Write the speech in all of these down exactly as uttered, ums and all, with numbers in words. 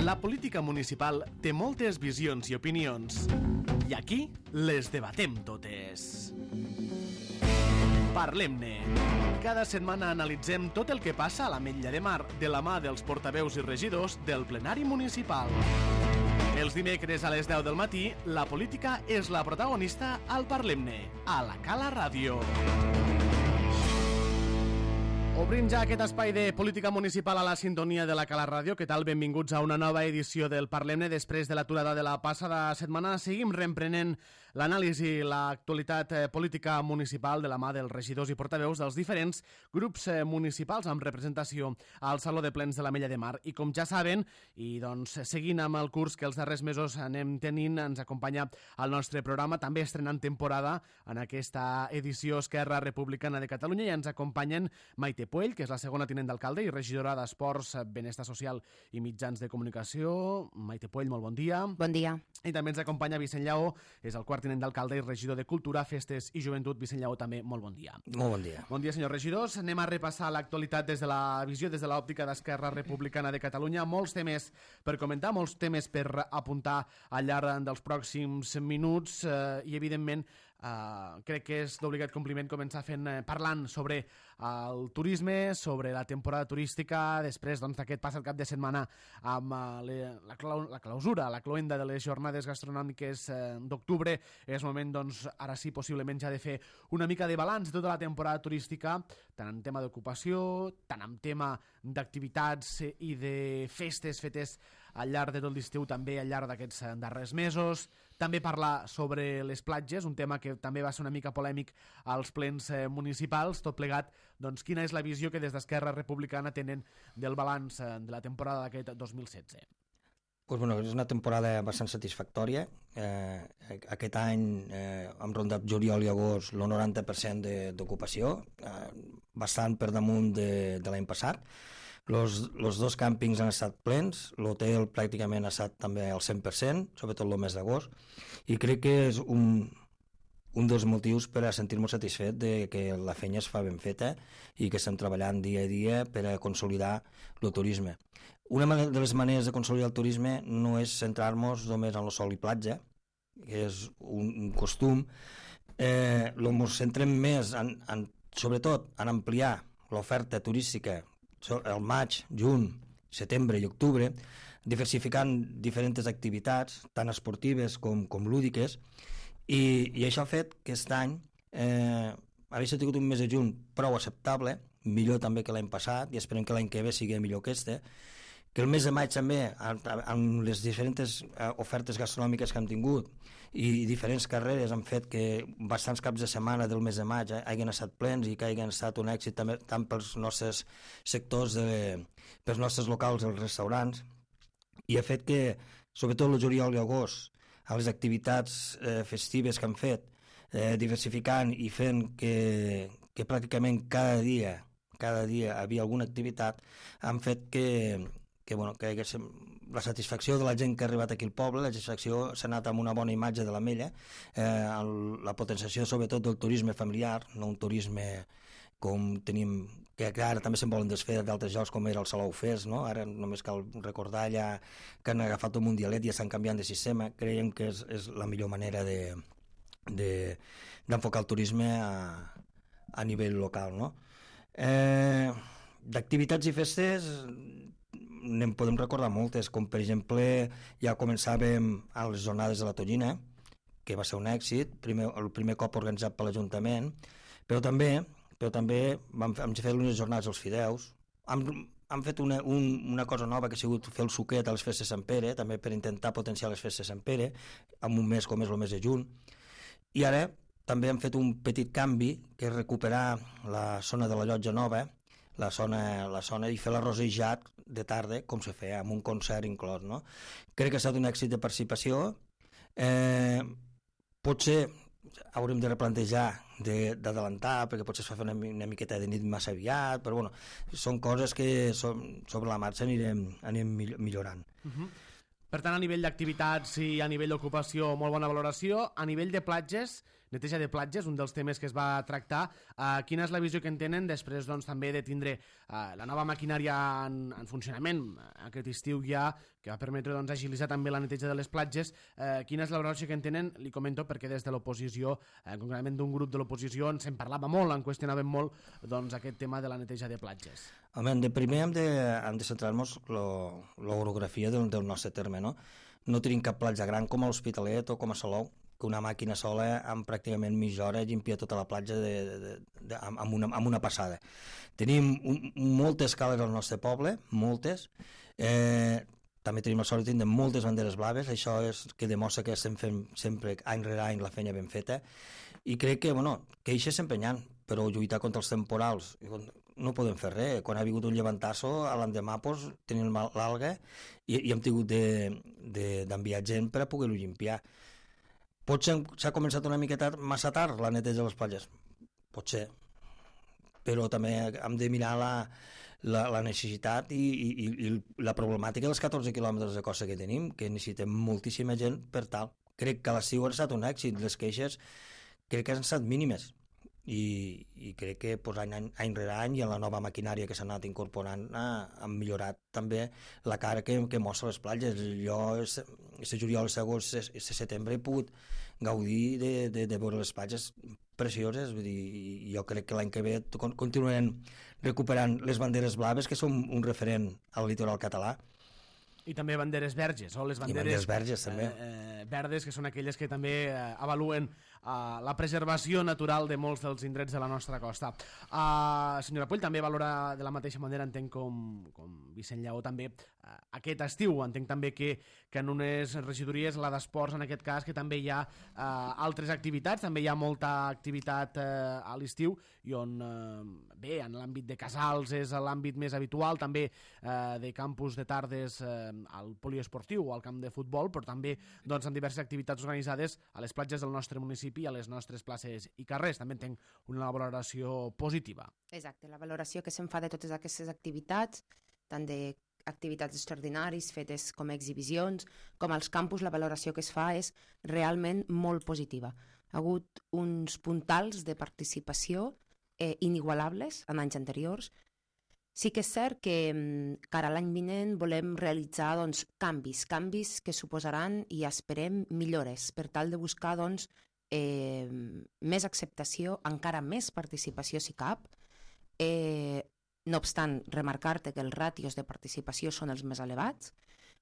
La política municipal té moltes visions i opinions, i aquí les debatem totes. Parlem-ne. Cada setmana analitzem tot el que passa a l'Ametlla de Mar de la mà dels portaveus i regidors del plenari municipal. Els dimecres a les deu del matí, la política és la protagonista al Parlem-ne, a la Cala Ràdio. Obrim ja aquest espai de política municipal a la sintonia de la Cala Ràdio. Què tal? Benvinguts a una nova edició del Parlem-ne. Després de l'aturada de la passada setmana, seguim reemprenent l'anàlisi i l'actualitat política municipal de la mà dels regidors i portaveus dels diferents grups municipals amb representació al Saló de Plens de l'Ametlla de Mar. I com ja saben, i doncs seguint amb el curs que els darrers mesos anem tenint, ens acompanya al nostre programa, també estrenant temporada en aquesta edició Esquerra Republicana de Catalunya, i ens acompanyen Maite Puell, que és la segona tinent d'alcalde i regidora d'Esports, Benestar Social i Mitjans de Comunicació. Maite Puell, molt bon dia. Bon dia. I també ens acompanya Vicent Lleó, és el quart tinent d'alcalde i regidor de Cultura, Festes i Joventut. Vicent Lleó, també molt bon dia. Molt bon dia. Bon dia, senyors regidors. Anem a repassar l'actualitat des de la visió, des de l'òptica d'Esquerra Republicana de Catalunya. Molts temes per comentar, molts temes per apuntar al llarg dels pròxims minuts eh, i, evidentment, Uh, crec que és d'obligat compliment començar fent eh, parlant sobre el turisme, sobre la temporada turística, després doncs, d'aquest passat cap de setmana amb uh, le, la, clau, la clausura, la cloenda de les jornades gastronòmiques eh, d'octubre. És moment, doncs, ara sí, possiblement ja de fer una mica de balanç de tota la temporada turística, tant en tema d'ocupació, tant en tema d'activitats i de festes fetes al llarg de tot l'estiu, també al llarg d'aquests darrers mesos. També parlar sobre les platges, un tema que també va ser una mica polèmic als plens eh, municipals. Tot plegat, doncs, quina és la visió que des d'Esquerra Republicana tenen del balanç eh, de la temporada d'aquest dos mil setze? Pues bueno, és una temporada bastant satisfactòria. Eh, aquest any eh, hem rondat juliol i agost el noranta per cent d'ocupació, eh, bastant per damunt de, de l'any passat. Los, los dos càmpings han estat plens, l'hotel pràcticament ha estat també al cent per cent, sobretot el mes d'agost, i crec que és un, un dels motius per a sentir-nos satisfet de que la feina es fa ben feta i que estem treballant dia a dia per a consolidar el turisme. Una de les maneres de consolidar el turisme no és centrar-nos només en el sol i platja, que és un, un costum, eh, ens centrem més, en, en, sobretot, en ampliar l'oferta turística el maig, juny, setembre i octubre, diversificant diferents activitats, tant esportives com, com lúdiques, i, i això ha fet que aquest any eh, hagi tingut un mes de juny prou acceptable, millor també que l'any passat, i esperem que l'any que ve sigui millor que este, que el mes de maig també, amb les diferents ofertes gastronòmiques que hem tingut i diferents carreres han fet que bastants caps de setmana del mes de maig eh, hagin estat plens i que hagin estat un èxit també, tant pels nostres sectors, de, pels nostres locals, els restaurants, i ha fet que, sobretot el juliol i agost, a les activitats eh, festives que han fet, eh, diversificant i fent que, que pràcticament cada dia, cada dia havia alguna activitat, han fet que que, bueno, que la satisfacció de la gent que ha arribat aquí al poble, la satisfacció s'ha anat amb una bona imatge de l'Ametlla, eh, la potenciació sobretot del turisme familiar, no un turisme com tenim, que ara també se'n volen desfer d'altres llocs com era el Salou Fest, no? Ara només cal recordar allà que han agafat un mundialet i estan canviant de sistema. Creiem que és, és la millor manera de, de, d'enfocar el turisme a, a nivell local, no? Eh, d'activitats i festes n'en podem recordar moltes, com per exemple ja començàvem a les jornades de la Tonyina, que va ser un èxit, primer, el primer cop organitzat per l'Ajuntament, però també, però també vam, vam fer unes jornades als fideus, hem, hem fet una, un, una cosa nova que ha sigut fer el suquet a les festes de Sant Pere, també per intentar potenciar les festes de Sant Pere, en un mes com és el mes de juny, i ara també hem fet un petit canvi, que és recuperar la zona de la Llotja Nova, la zona, la zona i fer l'arrosejat de tarda, com se feia, amb un concert inclòs, no? Crec que ha estat un èxit de participació. Eh, potser haurem de replantejar d'adelantar, perquè potser es fa una, una miqueta de nit massa aviat, però bueno, són coses que som, sobre la marxa anirem, anirem millorant. Uh-huh. Per tant, a nivell d'activitats i a nivell d'ocupació, molt bona valoració. A nivell de platges, neteja de platges, un dels temes que es va tractar. Uh, quina és la visió que en tenen després doncs, també de tindre uh, la nova maquinària en, en funcionament aquest estiu ja, que va permetre doncs, agilitzar també la neteja de les platges? Uh, quina és la valoració que en tenen? Li comento perquè des de l'oposició, uh, concretament d'un grup de l'oposició, ens en parlava molt, en qüestionàvem molt doncs, aquest tema de la neteja de platges. Home, de primer hem de, hem de centrar-nos l'orografia del, del nostre terme, no? No tenim cap platja gran com a l'Hospitalet o com a Salou, que una màquina sola en pràcticament mitja hora llimpia tota la platja de, de, de, amb, una, amb una passada. Tenim un, moltes cales al nostre poble, moltes. Eh, també tenim la sort de tenir moltes banderes blaves, això és que demostra que estem fent sempre, any rere any, la feina ben feta. I crec que, bueno, que això sempre n'hi ha, però lluitar contra els temporals no podem fer res. Quan ha vingut un llevantasso, a l'endemà pues, tenim l'alga i, i hem tingut d'enviar gent per a poder-ho limpiar. Potser s'ha començat una miqueta massa tard la neteja de les platges, potser, però també hem de mirar la, la, la necessitat i, i, i la problemàtica dels catorze quilòmetres de costa que tenim, que necessitem moltíssima gent per tal. Crec que l'estiu ha estat un èxit, les queixes crec que han estat mínimes i, i crec que pues, any, any, any rere any i en la nova maquinària que s'ha anat incorporant ha, han millorat també la cara que, que mostra les platges. Jo, este juliol, segons este setembre, he pogut gaudir de, de, de veure les platges precioses. Vull dir, jo crec que l'any que ve continuarem recuperant les banderes blaves, que són un referent al litoral català. I també banderes verges, o les banderes, banderes verges, també. Eh, eh, verdes, que són aquelles que també eh, avaluen eh, la preservació natural de molts dels indrets de la nostra costa. Uh, senyora Puig, també valora de la mateixa manera, entenc com, com Vicent Lleó també, uh, aquest estiu, entenc també que, que en unes regidories, la d'esports en aquest cas, que també hi ha uh, altres activitats, també hi ha molta activitat uh, a l'estiu, i on, uh, bé, en l'àmbit de casals és l'àmbit més habitual, també uh, de campus de tardes uh, al poliesportiu o al camp de futbol, però també doncs, en diverses activitats organitzades a les platges del nostre municipi i a les nostres places i carrers. També entenc una valoració positiva. Exacte, la valoració que se'n fa de totes aquestes activitats, tant d'activitats extraordinaris fetes com a exhibicions, com als campus, la valoració que es fa és realment molt positiva. Ha hagut uns puntals de participació eh, inigualables en anys anteriors. Sí que és cert que cara a l'any vinent volem realitzar doncs, canvis, canvis que suposaran i esperem millores per tal de buscar doncs, eh, més acceptació, encara més participació si cap. Eh, no obstant, remarcar-te que els ràtios de participació són els més elevats,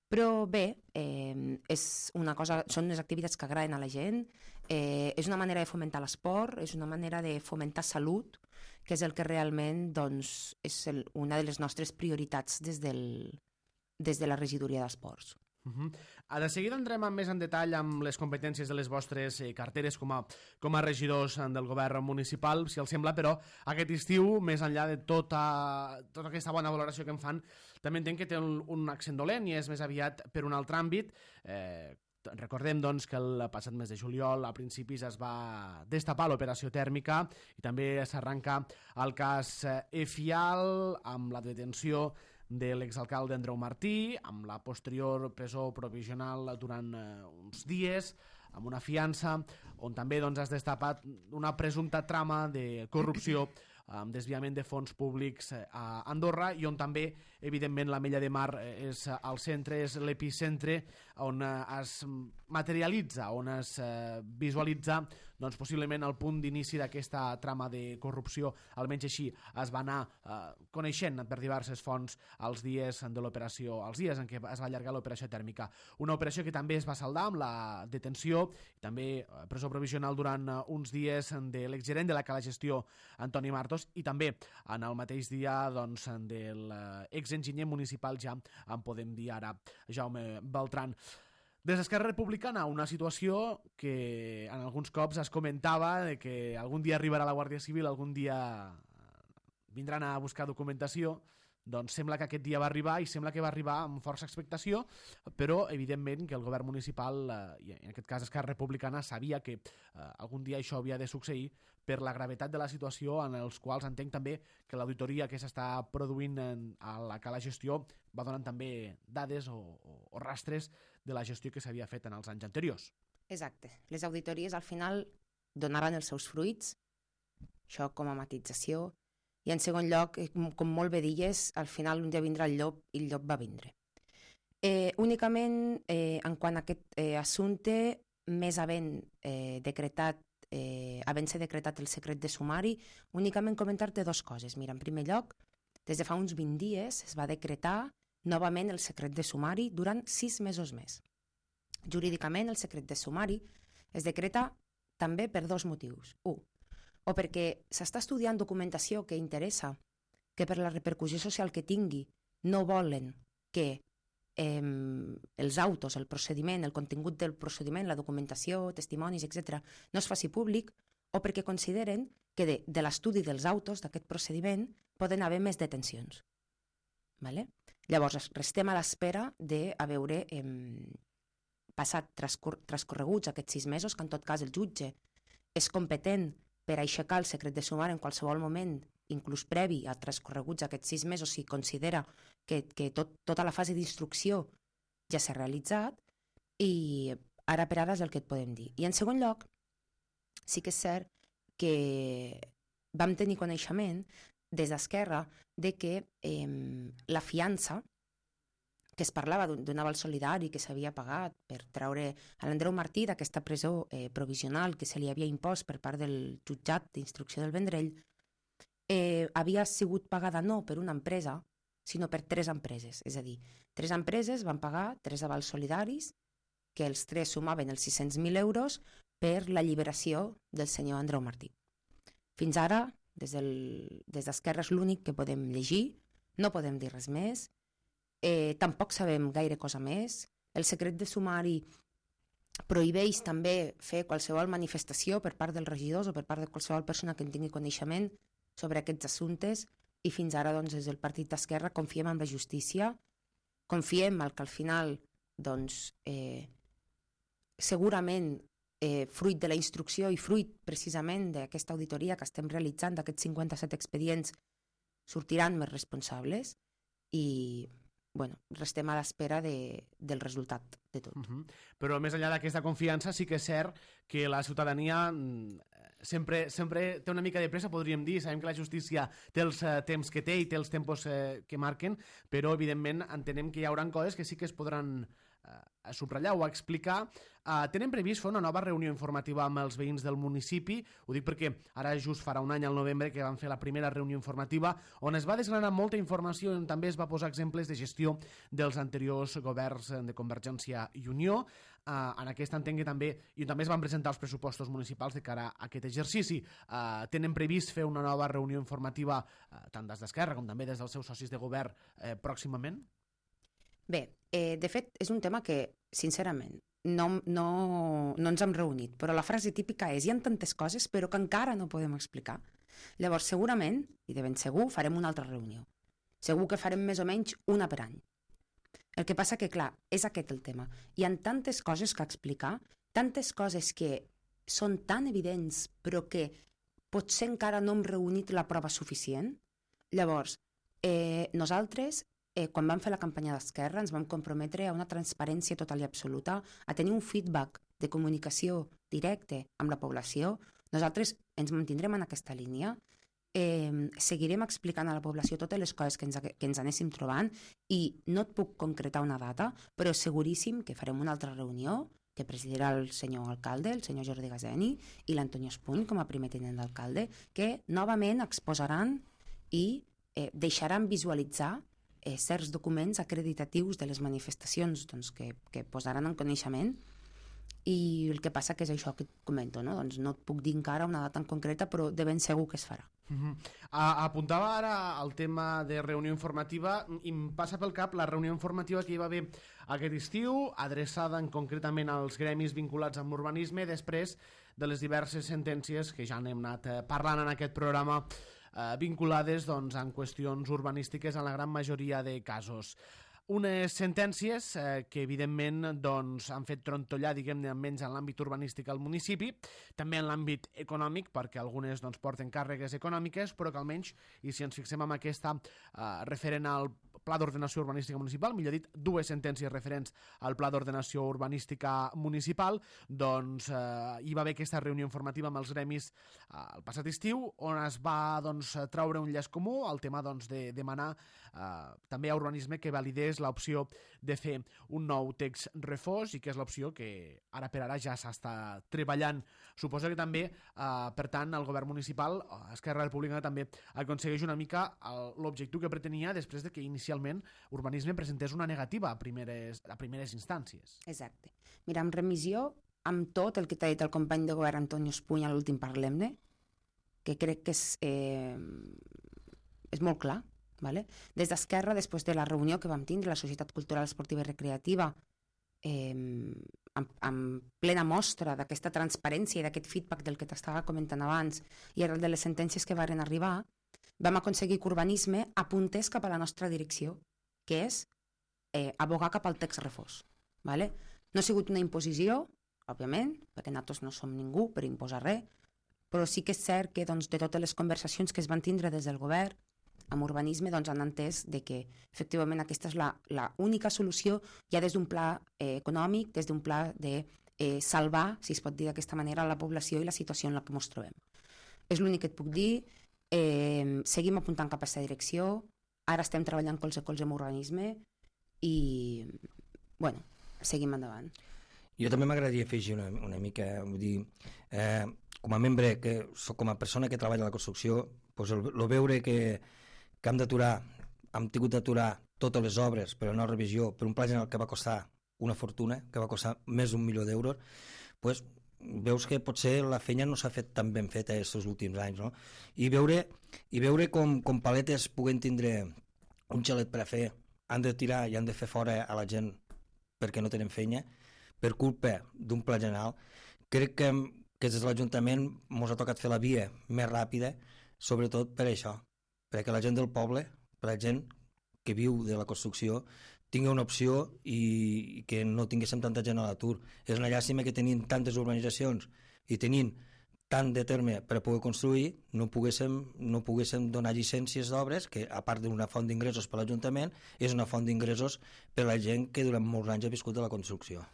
però bé, eh, és una cosa, són unes activitats que agraden a la gent, eh, és una manera de fomentar l'esport, és una manera de fomentar salut, que és el que realment doncs, és el, una de les nostres prioritats des, del, des de la regidoria d'esports. Uh-huh. De seguida entrem més en detall amb les competències de les vostres eh, carteres com a, com a regidors del govern municipal, si els sembla, però aquest estiu, més enllà de tota, tota aquesta bona valoració que en fan, també entenc que té un, un accent dolent i és més aviat per un altre àmbit. Eh, Recordem doncs, que el passat mes de juliol a principis es va destapar l'operació tèrmica i també s'arranca el cas Efial amb la detenció de l'exalcalde Andreu Martí, amb la posterior presó provisional durant eh, uns dies, amb una fiança, on també doncs, has destapat una presumpta trama de corrupció amb desviament de fons públics a Andorra i on també, evidentment, l'Ametlla de Mar és al centre, és l'epicentre on es materialitza, on es visualitza doncs, possiblement el punt d'inici d'aquesta trama de corrupció. Almenys així es va anar eh, coneixent per diverses fonts els dies de l'operació, els dies en què es va allargar l'operació tèrmica. Una operació que també es va saldar amb la detenció i també presó provisional durant uns dies de l'exgerent de la Cala Gestió, Antoni Martos, i també en el mateix dia doncs, de l'exenginyer municipal, ja en podem dir ara, Jaume Beltran. Des d'Esquerra Republicana, una situació que en alguns cops es comentava de que algun dia arribarà la Guàrdia Civil, algun dia vindran a buscar documentació. Doncs sembla que aquest dia va arribar i sembla que va arribar amb força expectació, però evidentment que el govern municipal, eh, i en aquest cas Esquerra Republicana, sabia que eh, algun dia això havia de succeir per la gravetat de la situació, en els quals entenc també que l'auditoria que s'està produint en, a la Cala Gestió va donant també dades o, o, o rastres de la gestió que s'havia fet en els anys anteriors. Exacte. Les auditories al final donaran els seus fruits, això com a matització, i en segon lloc, com molt bé dies, al final un dia vindrà el llop i el llop va vindre. Eh, únicament, eh, en quant a aquest eh, assumpte, més havent eh, decretat, eh, havent-se decretat el secret de sumari, únicament comentar-te dues coses. Mira, en primer lloc, des de fa uns vint dies es va decretar novament el secret de sumari durant sis mesos més. Jurídicament, el secret de sumari es decreta també per dos motius. Un, o perquè s'està estudiant documentació que interessa, que per la repercussió social que tingui no volen que eh, els autos, el procediment, el contingut del procediment, la documentació, testimonis, etcètera, no es faci públic, o perquè consideren que de, de l'estudi dels autos d'aquest procediment poden haver més detencions. Vale? Llavors, restem a l'espera de a veure eh, passat transcor transcorreguts aquests sis mesos, que en tot cas el jutge és competent per aixecar el secret de sumari en qualsevol moment, inclús previ a transcorreguts aquests sis mesos, si considera que, que tot, tota la fase d'instrucció ja s'ha realitzat, i ara per ara és el que et podem dir. I en segon lloc, sí que és cert que vam tenir coneixement des d'Esquerra de que eh, la fiança que es parlava d'un aval solidari que s'havia pagat per treure a l'Andreu Martí d'aquesta presó eh, provisional que se li havia impost per part del jutjat d'instrucció del Vendrell, eh, havia sigut pagada no per una empresa, sinó per tres empreses. És a dir, tres empreses van pagar tres avals solidaris, que els tres sumaven els sis-cents mil euros per l'alliberació del senyor Andreu Martí. Fins ara, des d'Esquerra és l'únic que podem llegir, no podem dir res més, Eh, tampoc sabem gaire cosa més. El secret de sumari prohibeix també fer qualsevol manifestació per part dels regidors o per part de qualsevol persona que en tingui coneixement sobre aquests assumptes, i fins ara doncs, des del partit d'Esquerra confiem en la justícia, confiem en que al final doncs, eh, segurament eh, fruit de la instrucció i fruit precisament d'aquesta auditoria que estem realitzant d'aquests cinquanta-set expedients sortiran més responsables, i bueno, restem a l'espera de, del resultat de tot. Uh-huh. Però més enllà d'aquesta confiança, sí que és cert que la ciutadania sempre, sempre té una mica de pressa, podríem dir. Sabem que la justícia té els uh, temps que té i té els tempos uh, que marquen, però evidentment entenem que hi haurà coses que sí que es podran uh, subratllar o explicar. Uh, tenen previst fer una nova reunió informativa amb els veïns del municipi. Ho dic perquè ara just farà un any, al novembre, que van fer la primera reunió informativa on es va desgranar molta informació i on també es va posar exemples de gestió dels anteriors governs de Convergència i Unió. Uh, en aquest entenc que també, i també es van presentar els pressupostos municipals de cara a aquest exercici. Uh, tenen previst fer una nova reunió informativa uh, tant des d'Esquerra com també des dels seus socis de govern uh, pròximament? Bé, eh, de fet, és un tema que, sincerament, no, no, no ens hem reunit, però la frase típica és: hi ha tantes coses però que encara no podem explicar. Llavors, segurament, i de ben segur, farem una altra reunió. Segur que farem més o menys una per any. El que passa que, clar, és aquest el tema. Hi ha tantes coses que explicar, tantes coses que són tan evidents però que potser encara no hem reunit la prova suficient. Llavors, eh, nosaltres, Eh, quan vam fer la campanya d'Esquerra, ens vam comprometre a una transparència total i absoluta, a tenir un feedback de comunicació directe amb la població. Nosaltres ens mantindrem en aquesta línia, eh, seguirem explicant a la població totes les coses que ens, que ens anéssim trobant, i no et puc concretar una data, però seguríssim que farem una altra reunió que presidirà el senyor alcalde, el senyor Jordi Gazeni, i l'Antonio Espuny com a primer tinent d'alcalde, que novament exposaran i eh, deixaran visualitzar Eh, certs documents acreditatius de les manifestacions doncs, que, que posaran en coneixement, i el que passa que és això que et comento, no? Doncs no et puc dir encara una data en concreta, però de ben segur que es farà. Uh-huh. A, apuntava ara el tema de reunió informativa, i em passa pel cap la reunió informativa que hi va haver aquest estiu, adreçada en concretament als gremis vinculats amb l'urbanisme, després de les diverses sentències que ja n'hem anat eh, parlant en aquest programa, vinculades doncs, en qüestions urbanístiques en la gran majoria de casos. Unes sentències eh, que, evidentment, doncs, han fet trontollar, diguem-ne, almenys en l'àmbit urbanístic al municipi, també en l'àmbit econòmic, perquè algunes doncs, porten càrregues econòmiques, però que almenys, i si ens fixem en aquesta eh, referent al Pla d'Ordenació Urbanística Municipal, millor dit, dues sentències referents al Pla d'Ordenació Urbanística Municipal, doncs eh, hi va haver aquesta reunió informativa amb els gremis eh, el passat estiu, on es va doncs, traure un llaç comú, el tema doncs, de demanar eh, també a Urbanisme que validés l'opció de fer un nou text refós, i que és l'opció que ara per ara ja s'està treballant. Suposo que també, eh, per tant, el govern municipal, Esquerra Republicana, també aconsegueix una mica l'objectiu que pretenia després de que inicialment Urbanisme presentés una negativa a primeres, a primeres instàncies. Exacte. Mira, en remissió, amb tot el que t'ha dit el company de govern Antonio Espuny a l'últim Parlem-ne, que crec que és, eh, és molt clar, vale? Des d'Esquerra, després de la reunió que vam tindre, la Societat Cultural Esportiva i Recreativa, eh, amb, amb plena mostra d'aquesta transparència i d'aquest feedback del que t'estava comentant abans, i arrel de les sentències que varen arribar, vam aconseguir que Urbanisme apuntés cap a la nostra direcció, que és eh, abogar cap al text refós. Vale? No ha sigut una imposició, òbviament, perquè nosaltres no som ningú per imposar res, però sí que és cert que doncs, de totes les conversacions que es van tindre des del govern amb Urbanisme doncs, han entès de que efectivament aquesta és la, la única solució ja des d'un pla eh, econòmic, des d'un pla de eh, salvar, si es pot dir d'aquesta manera, la població i la situació en la que ens trobem. És l'únic que et puc dir. Eh, seguim apuntant cap a aquesta direcció, ara estem treballant colze a colze amb Urbanisme i, bueno, seguim endavant. Jo també m'agradaria afegir una, una mica, vull dir, eh, com a membre, que soc com a persona que treballa a la construcció, doncs el, el veure que, que hem d'aturar, hem tingut d'aturar totes les obres per una revisió, per un pla general que va costar una fortuna, que va costar més d'un milió d'euros, doncs veus que potser la feina no s'ha fet tan ben feta aquests últims anys, no? I veure, i veure com, com paletes puguen tindre un xalet per a fer, han de tirar i han de fer fora a la gent perquè no tenen feina, per culpa d'un pla general, crec que, que des de l'Ajuntament ens ha tocat fer la via més ràpida, sobretot per això, perquè la gent del poble, per la gent que viu de la construcció, tingui una opció i que no tinguéssim tanta gent a l'atur. És una llàstima que tenint tantes urbanitzacions i tenint tant de terme per a poder construir, no poguéssim, no poguéssim donar llicències d'obres, que a part d'una font d'ingressos per l'Ajuntament, és una font d'ingressos per a la gent que durant molts anys ha viscut de la construcció.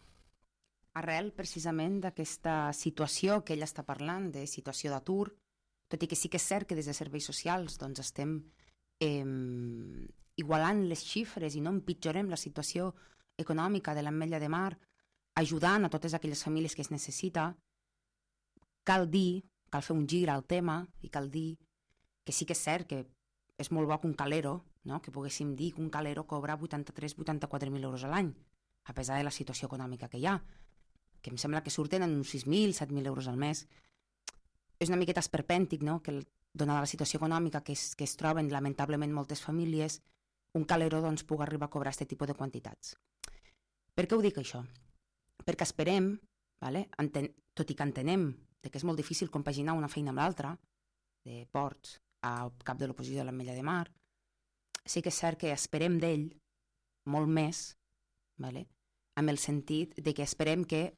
Arrel, precisament, d'aquesta situació que ella està parlant, de situació d'atur, tot i que sí que és cert que des de serveis socials doncs, estem eh, igualant les xifres i no empitjorem la situació econòmica de l'Ametlla de Mar, ajudant a totes aquelles famílies que es necessita, cal dir, cal fer un gir al tema i cal dir que sí que és cert que és molt bo que un calero, no? Que poguéssim dir que un calero cobra vuitanta-tres a vuitanta-quatre mil euros a l'any, a pesar de la situació econòmica que hi ha, que em sembla que surten en uns sis mil, set mil euros al mes. És una miqueta esperpèntic, no? Que donada la situació econòmica que es, que es troben lamentablement moltes famílies, un calero doncs, pugui arribar a cobrar aquest tipus de quantitats. Per què ho dic això? Perquè esperem, vale? Enten, tot i que entenem que és molt difícil compaginar una feina amb l'altra, de ports al cap de l'oposició de l'Ametlla de Mar, sí que és cert que esperem d'ell molt més, vale? Amb el sentit de que esperem que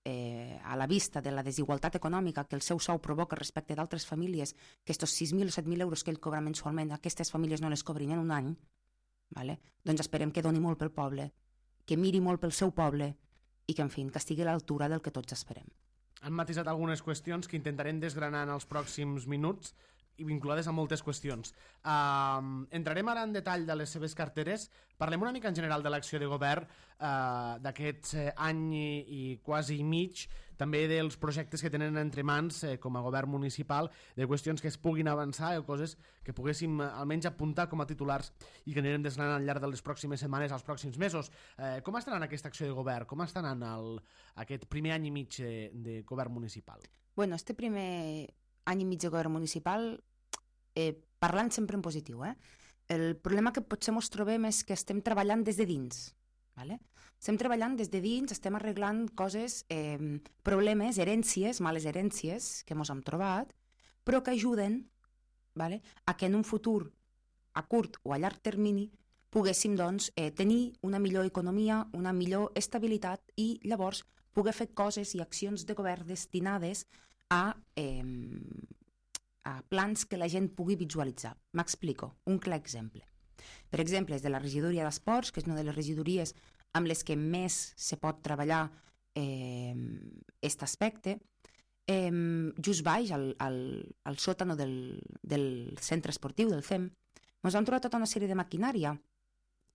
eh, a la vista de la desigualtat econòmica que el seu sou provoca respecte d'altres famílies, que estos sis mil o set mil euros que ell cobra mensualment, aquestes famílies no les cobrin en un any, vale? Doncs esperem que doni molt pel poble, que miri molt pel seu poble i que, en fi, que estigui a l'altura del que tots esperem. Han matisat algunes qüestions que intentarem desgranar en els pròxims minuts i vinculades a moltes qüestions. Uh, entrarem ara en detall de les seves carteres. Parlem una mica en general de l'acció de govern uh, d'aquest uh, any i, i quasi mig, també dels projectes que tenen entre mans eh, com a govern municipal, de qüestions que es puguin avançar o coses que poguéssim uh, almenys apuntar com a titulars i que anirem desgranant al llarg de les pròximes setmanes, als pròxims mesos. Uh, com està anant aquesta acció de govern? Com està anant el, aquest primer any i mig de, de govern municipal? Bueno, este primer any i mig de govern municipal, eh, parlant sempre en positiu, eh? El problema que potser ens trobem és que estem treballant des de dins, ¿vale? Estem treballant des de dins, estem arreglant coses, eh, problemes, herències, males herències que ens hem trobat, però que ajuden, ¿vale? A que en un futur, a curt o a llarg termini, poguéssim doncs, eh, tenir una millor economia, una millor estabilitat i llavors poder fer coses i accions de govern destinades a, eh, a plans que la gent pugui visualitzar. M'explico, un clar exemple. Per exemple, és de la regidoria d'esports, que és una de les regidories amb les que més se pot treballar aquest eh, aspecte. Eh, just baix, al, al, al sòtano del, del centre esportiu, del C E M, ens vam trobar tota una sèrie de maquinària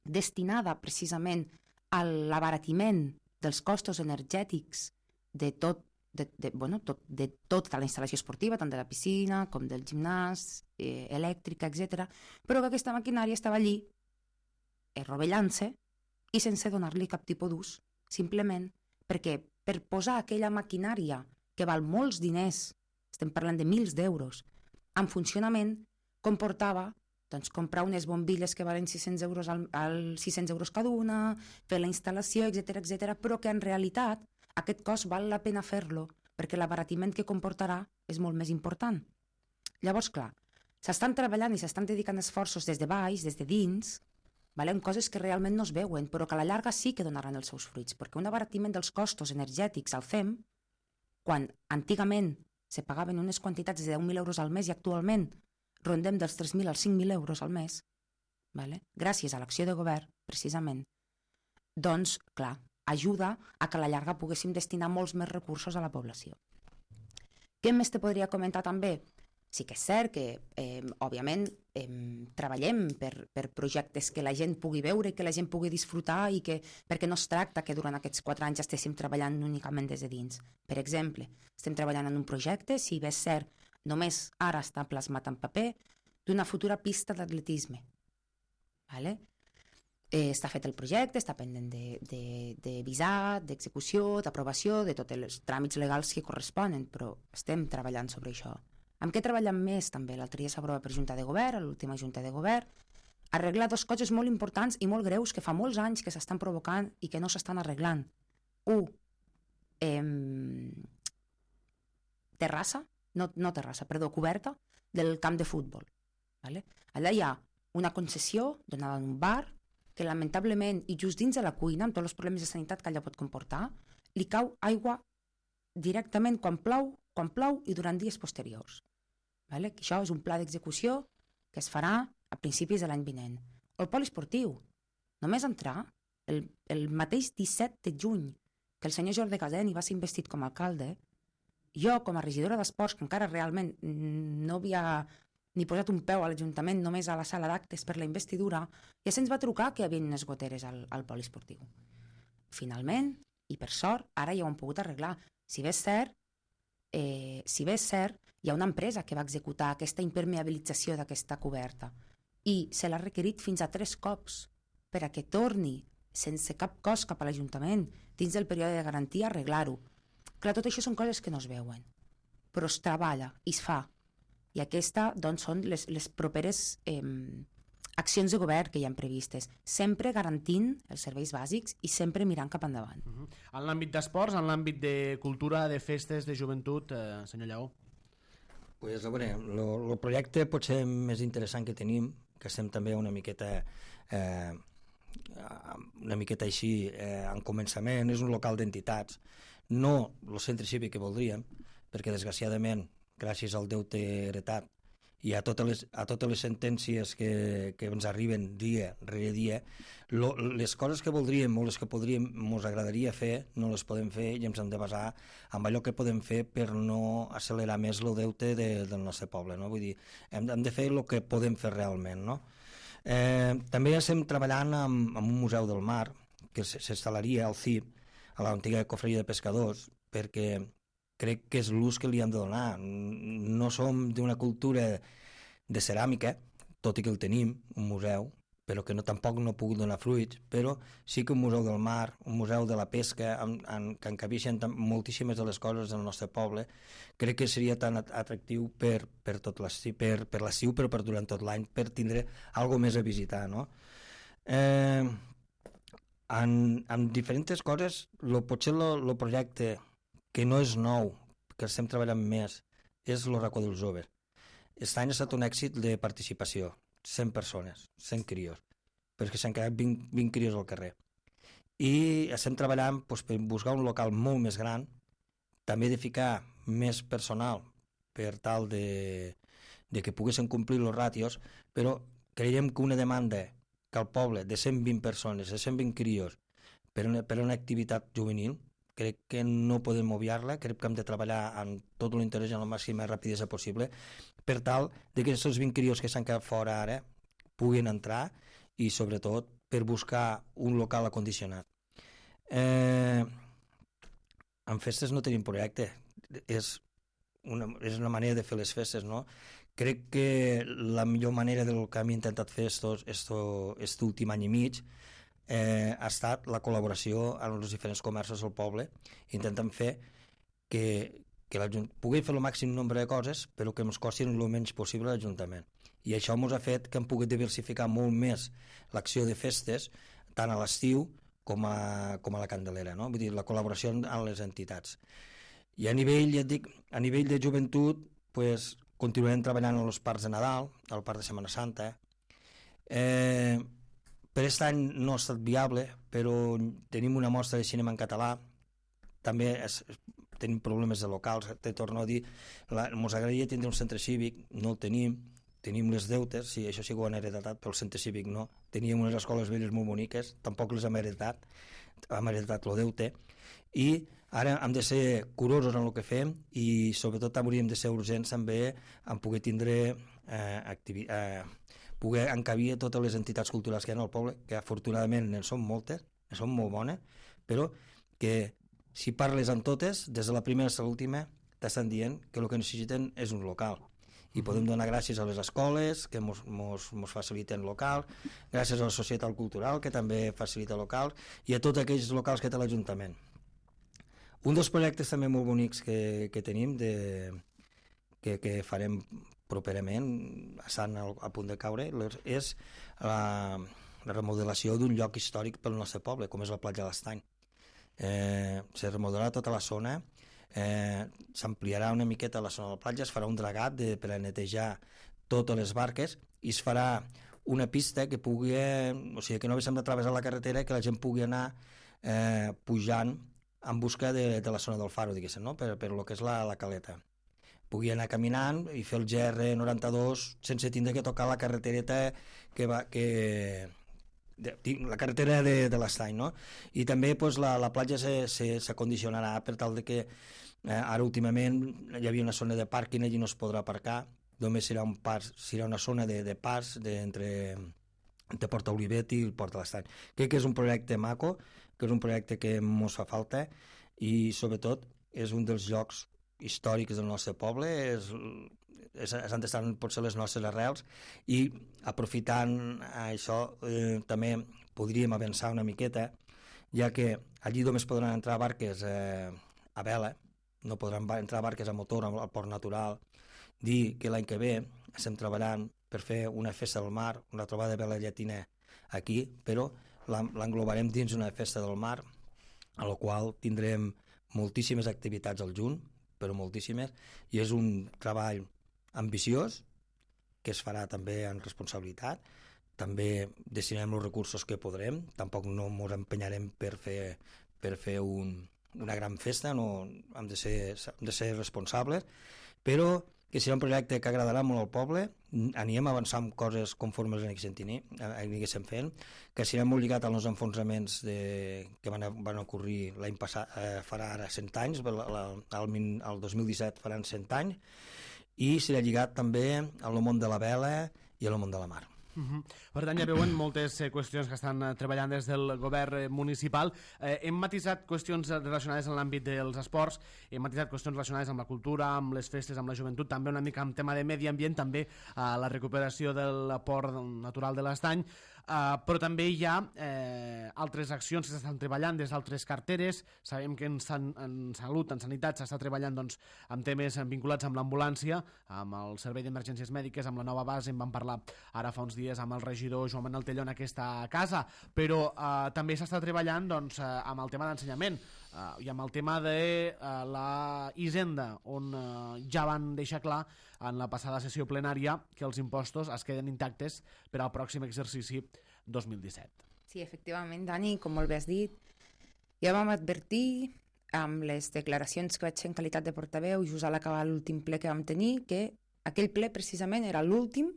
destinada precisament a l'abaratiment dels costos energètics de tot, de, de, bueno, tot, de tota la instal·lació esportiva, tant de la piscina com del gimnàs, eh, elèctrica, etcètera, però que aquesta maquinària estava allí eh, rovellant-se i sense donar-li cap tipus d'ús, simplement perquè per posar aquella maquinària que val molts diners, estem parlant de mils d'euros, en funcionament comportava doncs, comprar unes bombilles que valen sis-cents euros, al, al sis-cents euros cada una, fer la instal·lació, etcètera, etcètera, però que en realitat aquest cost val la pena fer-lo perquè l'abaratiment que comportarà és molt més important. Llavors, clar, s'estan treballant i s'estan dedicant esforços des de baix, des de dins, valen coses que realment no es veuen, però que a la llarga sí que donaran els seus fruits, perquè un abaratiment dels costos energètics al C E M, quan antigament se pagaven unes quantitats de deu mil euros al mes i actualment rondem dels tres mil als cinc mil euros al mes, vale? Gràcies a l'acció de govern, precisament, doncs, clar, ajuda a que a la llarga poguéssim destinar molts més recursos a la població. Què més te podria comentar també? Sí que és cert que, eh, òbviament, eh, treballem per, per projectes que la gent pugui veure i que la gent pugui disfrutar i que, perquè no es tracta que durant aquests quatre anys estéssim treballant únicament des de dins. Per exemple, estem treballant en un projecte, si bé és cert, només ara està plasmat en paper, d'una futura pista d'atletisme. Vale? Eh, està fet el projecte, està pendent de, de, de visat, d'execució, d'aprovació, de tots els tràmits legals que corresponen, però estem treballant sobre això. Amb què treballem més també? L'altre dia s'aprova per Junta de Govern, a l'última Junta de Govern, arreglar dues coses molt importants i molt greus que fa molts anys que s'estan provocant i que no s'estan arreglant. Un, eh, terrassa, no, no terrassa, perdó, coberta del camp de futbol. Vale? Allà hi ha una concessió donada en un bar que lamentablement, i just dins de la cuina, amb tots els problemes de sanitat que allà pot comportar, li cau aigua directament quan plou, quan plou i durant dies posteriors. Vale? Això és un pla d'execució que es farà a principis de l'any vinent. O el poliesportiu. Només entrar el, el mateix disset de juny que el senyor Jordi Caseni va ser investit com a alcalde, jo, com a regidora d'esports, que encara realment no havia ni posat un peu a l'Ajuntament, només a la sala d'actes per la investidura, ja se'ns va trucar que hi havia unes goteres al, al poliesportiu. Finalment, i per sort, ara ja ho han pogut arreglar. Si bé és cert, eh, si bé és cert, hi ha una empresa que va executar aquesta impermeabilització d'aquesta coberta i se l'ha requerit fins a tres cops per a que torni sense cap cost cap a l'Ajuntament dins del període de garantia a arreglar-ho. Clar, tot això són coses que no es veuen, però es treballa i es fa. I aquesta, doncs, són les, les properes eh, accions de govern que hi ha previstes, sempre garantint els serveis bàsics i sempre mirant cap endavant. Uh -huh. En l'àmbit d'esports, en l'àmbit de cultura, de festes, de joventut, eh, senyor Lleó? Pues, a veure, el projecte potser més interessant que tenim, que estem també una miqueta eh, una miqueta així eh, en començament, és un local d'entitats, no el centre cívic que voldríem, perquè desgraciadament, gràcies al deute heretat i a totes les, a totes les sentències que, que ens arriben dia rere dia, lo, les coses que voldríem o les que podríem, ens agradaria fer, no les podem fer i ens hem de basar en allò que podem fer per no accelerar més el deute de, del nostre poble. No? Vull dir, hem, hem de fer el que podem fer realment. No? Eh, també estem treballant amb, amb un museu del mar que s'instal·laria al C I P, a l'antiga cofreria de pescadors, perquè crec que és l'ús que li hem de donar. No som d'una cultura de ceràmica, tot i que el tenim, un museu, però que no, tampoc no pugui donar fruits, però sí que un museu del mar, un museu de la pesca, en, en, que encabeixen moltíssimes de les coses del nostre poble, crec que seria tan atractiu per, per tot l'estiu, per, per l'estiu, però per durant tot l'any, per tindre alguna més a visitar, no? Eh, en, en diferents coses, lo, potser el projecte que no és nou, que estem treballant més, és el racó dels joves. Aquest any ha estat un èxit de participació, cent persones, cent crios. però és que s'han quedat vint, vint crios al carrer. I estem treballant doncs, per buscar un local molt més gran, també de ficar més personal per tal de, de que poguessin complir els ràtios, però creiem que una demanda que al poble de cent vint persones, de cent vint crios, per una, per una activitat juvenil, crec que no podem obviar-la, crec que hem de treballar amb tot l'interès i amb la màxima rapidesa possible per tal de que aquests vint crios que s'han quedat fora ara puguin entrar i sobretot per buscar un local acondicionat. Eh, en festes no tenim projecte, és una, és una manera de fer les festes, no? Crec que la millor manera del que hem intentat fer aquest últim any i mig eh, ha estat la col·laboració amb els diferents comerços del poble. Intentem fer que, que pugui fer el màxim nombre de coses però que ens costin el menys possible a l'Ajuntament. I això ens ha fet que hem pogut diversificar molt més l'acció de festes, tant a l'estiu com a, com a la Candelera, no? Vull dir, la col·laboració amb les entitats. I a nivell, ja et dic, a nivell de joventut, pues, continuarem treballant als parcs de Nadal, al parc de Setmana Santa. Eh, per aquest any no ha estat viable, però tenim una mostra de cinema en català, també és, tenim problemes de locals, te torno a dir, ens agradaria tindre un centre cívic, no el tenim, tenim les deutes, sí, això sí que ho han heretat, però el centre cívic no. Teníem unes escoles velles molt boniques, tampoc les hem heretat, hem heretat el deute, i ara hem de ser curosos en el que fem i sobretot hauríem de ser urgents també en poder tindre eh, activi eh, poder encabir totes les entitats culturals que hi ha al poble, que afortunadament en són moltes, en són molt bones, però que si parles amb totes, des de la primera a l'última, t'estan dient que el que necessiten és un local. I podem donar gràcies a les escoles que mos, mos, mos faciliten local, gràcies a la societat cultural que també facilita local i a tots aquells locals que té l'Ajuntament. Un dels projectes també molt bonics que, que tenim de, que, que farem properament, estan a punt de caure, és la, la remodelació d'un lloc històric pel nostre poble, com és la platja de l'Estany. Eh, se remodelarà tota la zona, eh, s'ampliarà una miqueta la zona de la platja, es farà un dragat de, per a netejar totes les barques i es farà una pista que pugui, o sigui, que no haguéssim de travessar la carretera, que la gent pugui anar eh, pujant en busca de, de la zona del faro, diguéssim, no? per, per lo que és la, la caleta. Pugui anar caminant i fer el G R noranta-dos sense tindre que tocar la carretereta que va... Que, de, la carretera de, de l'Estany, no? I també pues, la, la platja s'acondicionarà per tal de que eh, ara últimament hi havia una zona de pàrquing, allí no es podrà aparcar, només serà, un pas, serà una zona de, de pas de, entre, entre Porta Olivet i el Port de l'Estany. Crec que és un projecte maco, que és un projecte que ens fa falta i sobretot és un dels llocs històrics del nostre poble, és, és, és on estan potser les nostres arrels i aprofitant això eh, també podríem avançar una miqueta, ja que allí només podran entrar barques eh, a vela, no podran entrar barques a motor al port natural. Dir que l'any que ve estem treballant per fer una festa del mar, una trobada de vela llatina aquí, però l'englobarem dins una festa del mar, a la qual tindrem moltíssimes activitats al juny, però moltíssimes, i és un treball ambiciós que es farà també en responsabilitat. També destinarem els recursos que podrem, tampoc no ens empenyarem per fer, per fer un, una gran festa, no, hem de ser, hem de ser responsables, però que serà un projecte que agradarà molt al poble, anirem avançant coses conforme les aniguéssim fent, que serà molt lligat als enfonsaments de, que van, van ocorrir l'any passat, eh, farà ara cent anys, el, el, el dos mil disset faran cent anys, i serà lligat també al món de la vela i al món de la mar. Uh-huh. Per tant, ja veuen moltes eh, qüestions que estan eh, treballant des del govern eh, municipal. Eh, hem matisat qüestions relacionades amb l'àmbit dels esports, hem matisat qüestions relacionades amb la cultura, amb les festes, amb la joventut, també una mica amb tema de medi ambient, també eh, la recuperació del port natural de l'Estany, eh, però també hi ha eh, altres accions que s'estan treballant des d'altres carteres. Sabem que en, san, en salut, en sanitat, s'està treballant doncs, amb temes vinculats amb l'ambulància, amb el servei d'emergències mèdiques, amb la nova base, en vam parlar ara fa uns dies amb el regidor Joan Manuel Telló en aquesta casa, però eh, també s'està treballant doncs, eh, amb el tema d'ensenyament. uh, i amb el tema de uh, la Hisenda, on uh, ja van deixar clar en la passada sessió plenària que els impostos es queden intactes per al pròxim exercici dos mil disset. Sí, efectivament, Dani, com molt bé has dit, ja vam advertir amb les declaracions que vaig fer en qualitat de portaveu just a l'acabar l'últim ple que vam tenir, que aquell ple precisament era l'últim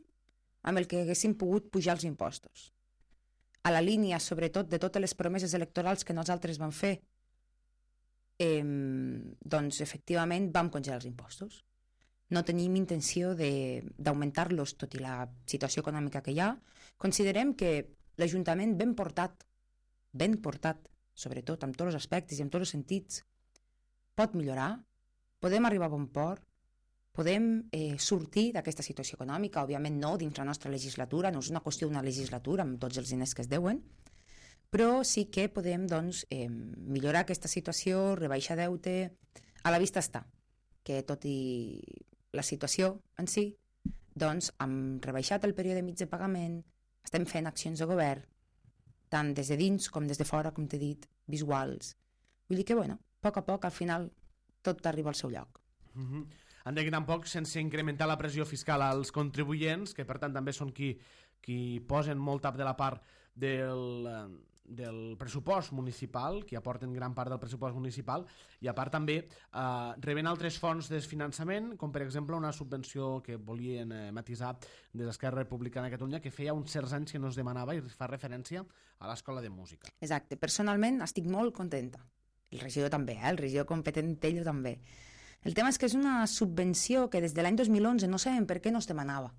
amb el que haguéssim pogut pujar els impostos. A la línia, sobretot, de totes les promeses electorals que nosaltres vam fer, eh, doncs, efectivament, vam congelar els impostos. No tenim intenció d'augmentar-los, tot i la situació econòmica que hi ha. Considerem que l'Ajuntament ben portat, ben portat, sobretot amb tots els aspectes i amb tots els sentits, pot millorar, podem arribar a bon port, podem eh, sortir d'aquesta situació econòmica, òbviament no dins la nostra legislatura, no és una qüestió d'una legislatura amb tots els diners que es deuen, però sí que podem doncs, eh, millorar aquesta situació, rebaixar deute. A la vista està que tot i la situació en si, doncs hem rebaixat el període mig de pagament, estem fent accions de govern, tant des de dins com des de fora, com t'he dit, visuals. Vull dir que, bueno, a poc a poc, al final, tot arriba al seu lloc. Mm-hmm. Han de tampoc sense incrementar la pressió fiscal als contribuents, que per tant també són qui, qui posen molta de la part del, del pressupost municipal, qui aporten gran part del pressupost municipal, i a part també eh, reben altres fonts de finançament, com per exemple una subvenció que volien eh, matisar des d'Esquerra Republicana de Catalunya, que feia uns certs anys que no es demanava i fa referència a l'Escola de Música. Exacte. Personalment estic molt contenta. El regidor també, eh? El regidor competent ell també. El tema és que és una subvenció que des de l'any dos mil onze no sabem per què no es demanava.